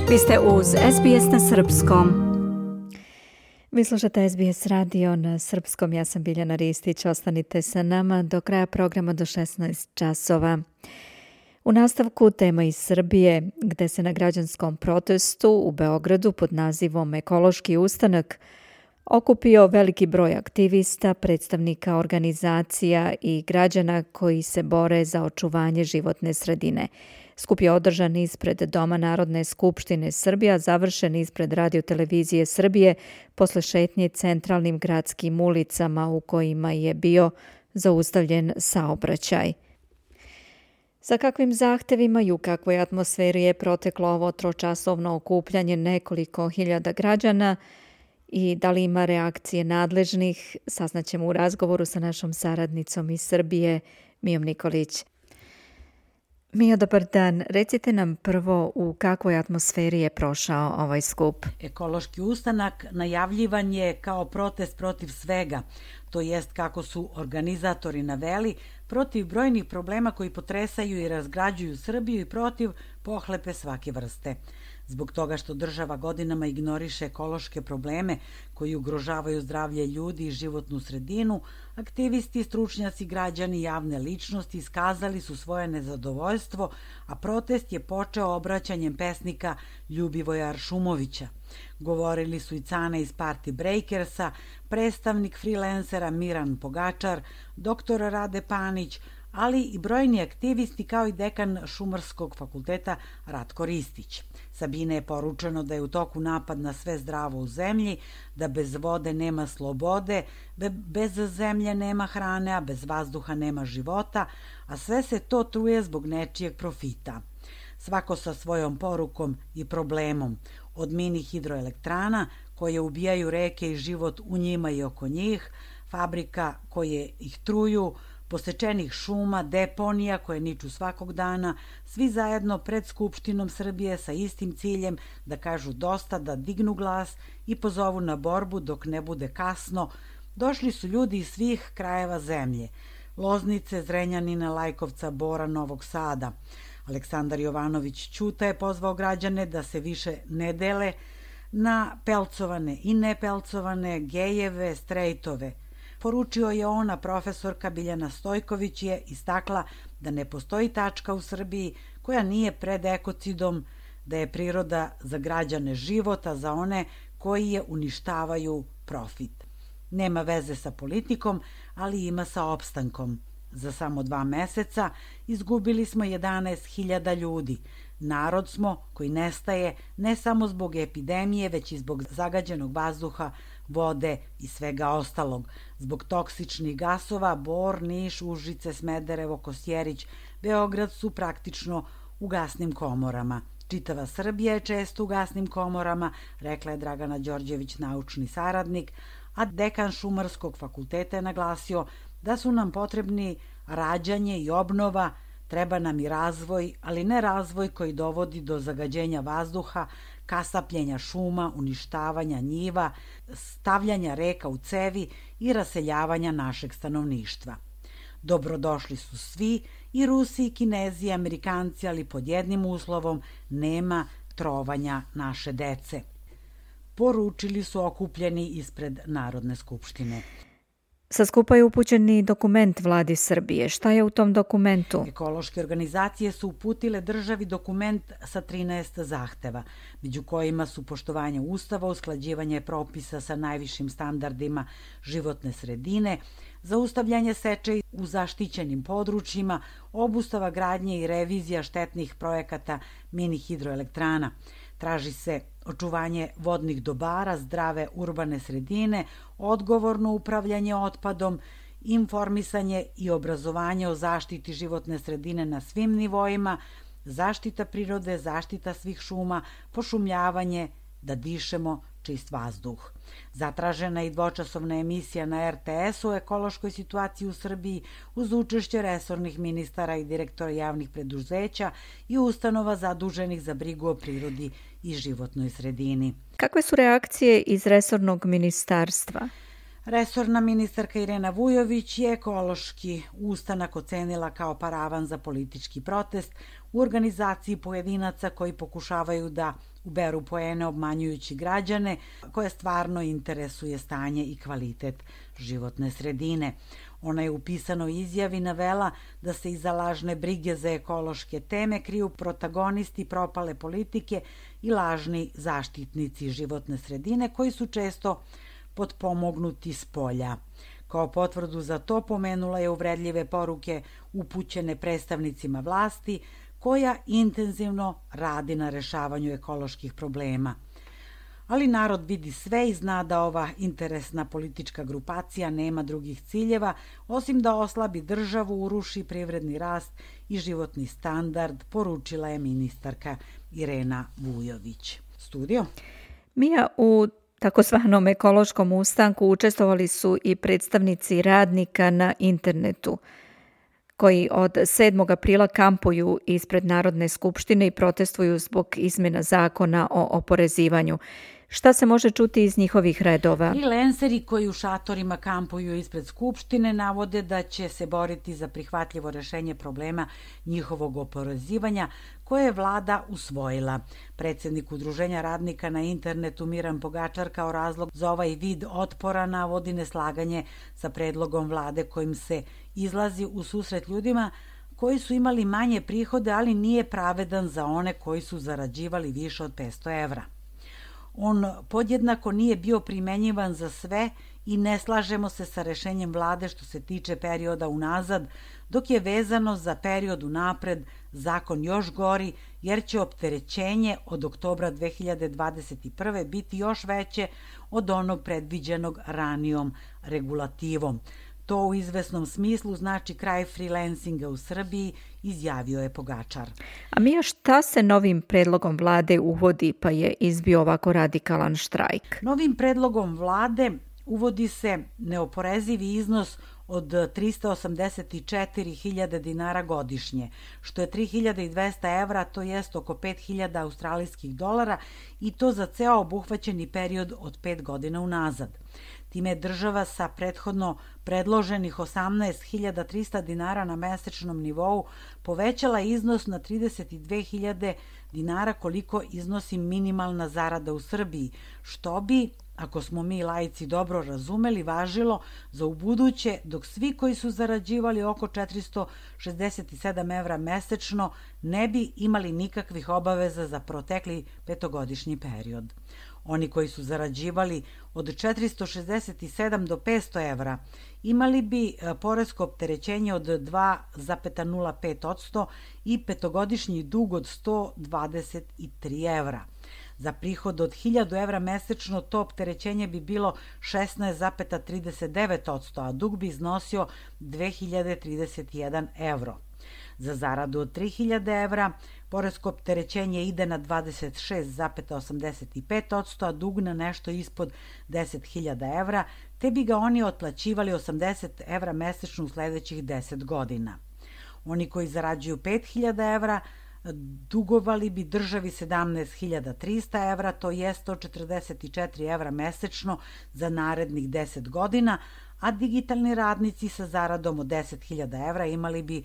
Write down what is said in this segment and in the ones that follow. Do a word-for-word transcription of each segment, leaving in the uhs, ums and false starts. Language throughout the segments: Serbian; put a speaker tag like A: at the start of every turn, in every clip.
A: Vi ste uz S B S na srpskom. Vi slušate S B S radio na srpskom. Ja sam Biljana Ristić. Ostanite sa nama do kraja programa do šesnaest časova. U nastavku tema iz Srbije, gde se na građanskom protestu u Beogradu pod nazivom Ekološki ustanak okupio veliki broj aktivista, predstavnika organizacija i građana koji se bore za očuvanje životne sredine. Skup je održan ispred Doma Narodne skupštine Srbije, a završen ispred Radio-televizije Srbije posle šetnje centralnim gradskim ulicama u kojima je bio zaustavljen saobraćaj. Sa kakvim zahtevima i u kakvoj atmosferi je proteklo ovo tročasovno okupljanje nekoliko hiljada građana i da li ima reakcije nadležnih, saznaćemo u razgovoru sa našom saradnicom iz Srbije, Mijom Nikolić. Mio, dobar dan. Recite nam prvo u kakvoj atmosferi je prošao ovaj skup.
B: Ekološki ustanak najavljivan je kao protest protiv svega, to jest kako su organizatori naveli, protiv brojnih problema koji potresaju i razgrađuju Srbiju i protiv pohlepe svake vrste. Zbog toga što država godinama ignoriše ekološke probleme koji ugrožavaju zdravlje ljudi i životnu sredinu, aktivisti, stručnjaci, građani i javne ličnosti iskazali su svoje nezadovoljstvo, a protest je počeo obraćanjem pesnika Ljubivoja Aršumovića. Govorili su i Cane iz Party Breakersa, predstavnik freelancera Miran Pogačar, doktor Rade Panić, ali i brojni aktivisti kao i dekan Šumarskog fakulteta Ratko Ristić. Sabine je poručeno da je u toku napad na sve zdravo u zemlji, da bez vode nema slobode, bez zemlje nema hrane, a bez vazduha nema života, a sve se to truje zbog nečijeg profita. Svako sa svojom porukom i problemom, od mini hidroelektrana koje ubijaju reke i život u njima i oko njih, fabrika koje ih truju, posečenih šuma, deponija koje niču svakog dana, svi zajedno pred Skupštinom Srbije sa istim ciljem da kažu dosta, da dignu glas i pozovu na borbu dok ne bude kasno. Došli su ljudi iz svih krajeva zemlje, Loznice, Zrenjanina, Lajkovca, Bora, Novog Sada. Aleksandar Jovanović Ćuta je pozvao građane da se više ne dele na pelcovane i nepelcovane, gejeve, strejtove. Poručio je ona, profesorka Biljana Stojković je istakla da ne postoji tačka u Srbiji koja nije pred ekocidom, da je priroda za građane života, za one koji je uništavaju profit. Nema veze sa politikom, ali ima sa opstankom. Za samo dva meseca izgubili smo jedanaest hiljada ljudi. Narod smo koji nestaje ne samo zbog epidemije, već i zbog zagađenog vazduha, vode i svega ostalog. Zbog toksičnih gasova, Bor, Niš, Užice, Smederevo, Kosjerić, Beograd su praktično u gasnim komorama. Čitava Srbija je često u gasnim komorama, rekla je Dragana Đorđević, naučni saradnik, a dekan Šumarskog fakulteta je naglasio da su nam potrebni rađanje i obnova, treba nam i razvoj, ali ne razvoj koji dovodi do zagađenja vazduha, kasapljenja šuma, uništavanja njiva, stavljanja reka u cevi i raseljavanja našeg stanovništva. Dobrodošli su svi, i Rusi, i Kinezi, i Amerikanci, ali pod jednim uslovom: nema trovanja naše dece. Poručili su okupljeni ispred Narodne skupštine.
A: Sa skupa je upućen i dokument vladi Srbije. Šta je u tom dokumentu?
B: Ekološke organizacije su uputile državi dokument sa trinaest zahteva, među kojima su poštovanje Ustava, usklađivanje propisa sa najvišim standardima životne sredine, zaustavljanje seče u zaštićenim područjima, obustava gradnje i revizija štetnih projekata mini hidroelektrana. Traži se očuvanje vodnih dobara, zdrave urbane sredine, odgovorno upravljanje otpadom, informisanje i obrazovanje o zaštiti životne sredine na svim nivoima, zaštita prirode, zaštita svih šuma, pošumljavanje, da dišemo čist vazduh. Zatražena je i dvočasovna emisija na er te es u ekološkoj situaciji u Srbiji uz učešće resornih ministara i direktora javnih preduzeća i ustanova zaduženih za brigu o prirodi i životnoj sredini.
A: Kakve su reakcije iz resornog ministarstva?
B: Resorna ministarka Irena Vujović je ekološki ustanak ocenila kao paravan za politički protest u organizaciji pojedinaca koji pokušavaju da uberu poene obmanjujući građane koje stvarno interesuje stanje i kvalitet životne sredine. Ona je u pisanoj izjavi navela da se iza lažne brige za ekološke teme kriju protagonisti propale politike i lažni zaštitnici životne sredine koji su često potpomognuti s polja. Kao potvrdu za to pomenula je uvredljive poruke upućene predstavnicima vlasti koja intenzivno radi na rešavanju ekoloških problema. Ali narod vidi sve i zna da ova interesna politička grupacija nema drugih ciljeva osim da oslabi državu, uruši privredni rast i životni standard, poručila je ministarka Irena Vujović. Studio?
A: Mija, u takozvanom ekološkom ustanku učestvovali su i predstavnici radnika na internetu, koji od sedmog aprila kampuju ispred Narodne skupštine i protestuju zbog izmjena zakona o oporezivanju. Šta se može čuti iz njihovih redova?
B: Freelanceri koji u šatorima kampuju ispred Skupštine navode da će se boriti za prihvatljivo rešenje problema njihovog oporezivanja koje je vlada usvojila. Predsednik Udruženja radnika na internetu Miran Pogačar kao razlog za ovaj vid otpora navodi neslaganje sa predlogom vlade kojim se izlazi u susret ljudima koji su imali manje prihode, ali nije pravedan za one koji su zarađivali više od petsto evra. On podjednako nije bio primenjivan za sve i ne slažemo se sa rešenjem vlade što se tiče perioda unazad, dok je vezano za period unapred zakon još gori, jer će opterećenje od oktobra dve hiljade dvadeset prve biti još veće od onog predviđenog ranijom regulativom. To u izvesnom smislu znači kraj freelancinga u Srbiji, izjavio je Pogačar.
A: A Mija, šta se novim predlogom vlade uvodi pa je izbio ovako radikalan štrajk?
B: Novim predlogom vlade uvodi se neoporezivi iznos od trista osamdeset četiri hiljade dinara godišnje, što je tri hiljade dvesta evra, to jest oko pet hiljada australijskih dolara i to za ceo obuhvaćeni period od pet godina unazad. Time je država sa prethodno predloženih osamnaest hiljada trista dinara na mesečnom nivou povećala iznos na trideset dve hiljade dinara koliko iznosi minimalna zarada u Srbiji, što bi, ako smo mi laici dobro razumeli, važilo za ubuduće, dok svi koji su zarađivali oko četiristo šezdeset sedam evra mesečno ne bi imali nikakvih obaveza za protekli petogodišnji period. Oni koji su zarađivali od četiristo šezdeset sedam do petsto evra imali bi poresko opterećenje od dva zarez nula pet posto i petogodišnji dug od sto dvadeset tri evra. Za prihod od hiljadu evra mesečno to opterećenje bi bilo šesnaest zarez trideset devet posto, a dug bi iznosio dve hiljade trideset jedan evro. Za zaradu od tri hiljade evra poresko opterećenje ide na dvadeset šest zarez osamdeset pet posto, a dug na nešto ispod deset hiljada evra, te bi ga oni otplaćivali osamdeset evra mesečno u sledećih deset godina. Oni koji zarađuju pet hiljada evra dugovali bi državi sedamnaest hiljada trista evra, to je sto četrdeset četiri evra mesečno za narednih deset godina, a digitalni radnici sa zaradom od deset hiljada evra imali bi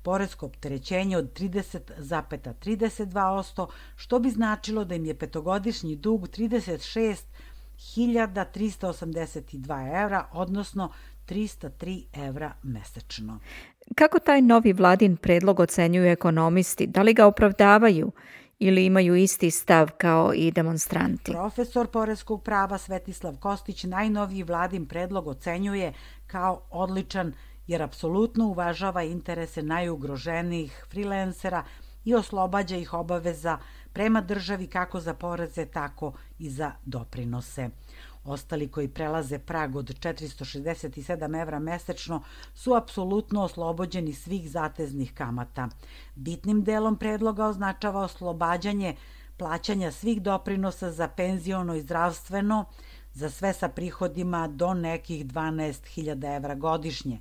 B: poresko opterećenje od trideset zarez trideset dva posto, što bi značilo da im je petogodišnji dug trideset šest hiljada trista osamdeset dva evra, odnosno trista tri evra mesečno.
A: Kako taj novi vladin predlog ocenjuju ekonomisti? Da li ga opravdavaju ili imaju isti stav kao i demonstranti?
B: Profesor poreskog prava Svetislav Kostić najnoviji vladin predlog ocenjuje kao odličan jer apsolutno uvažava interese najugroženijih freelancera i oslobađa ih obaveza prema državi kako za poreze, tako i za doprinose. Ostali koji prelaze prag od četiristo šezdeset sedam evra mesečno su apsolutno oslobođeni svih zateznih kamata. Bitnim delom predloga označava oslobađanje plaćanja svih doprinosa za penziono i zdravstveno, za sve sa prihodima do nekih dvanaest hiljada evra godišnje.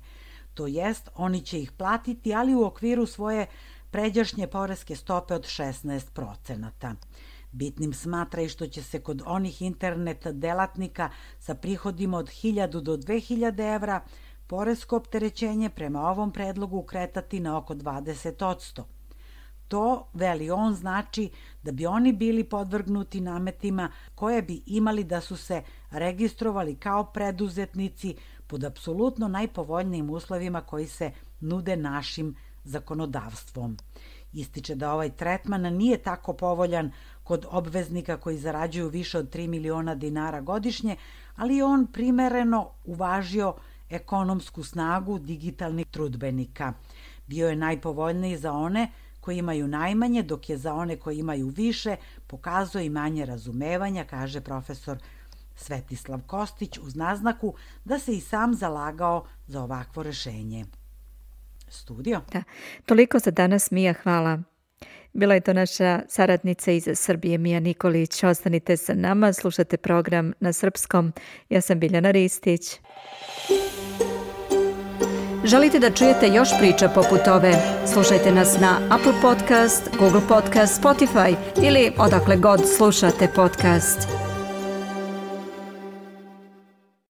B: To jest, oni će ih platiti, ali u okviru svoje pređašnje poreske stope od šesnaest procenata. Bitnim smatra i što će se kod onih internet delatnika sa prihodima od hiljadu do dve hiljade evra poresko opterećenje prema ovom predlogu kretati na oko dvadeset posto. To, veli on, znači da bi oni bili podvrgnuti nametima koje bi imali da su se registrovali kao preduzetnici pod apsolutno najpovoljnijim uslovima koji se nude našim zakonodavstvom. Ističe da ovaj tretman nije tako povoljan kod obveznika koji zarađuju više od tri miliona dinara godišnje, ali je on primereno uvažio ekonomsku snagu digitalnih trudbenika. Bio je najpovoljniji za one koji imaju najmanje, dok je za one koji imaju više pokazao i manje razumevanja, kaže profesor Svetislav Kostić, uz naznaku da se i sam zalagao za ovakvo rešenje. Studio.
A: Da, toliko za danas, Mija, hvala. Bila je to naša saradnica iz Srbije, Mija Nikolić. Ostanite sa nama, slušate program na srpskom. Ja sam Biljana Ristić. Želite da čujete još priča poput ove? Slušajte nas na Apple Podcast, Google Podcast, Spotify ili odakle god slušate podcast.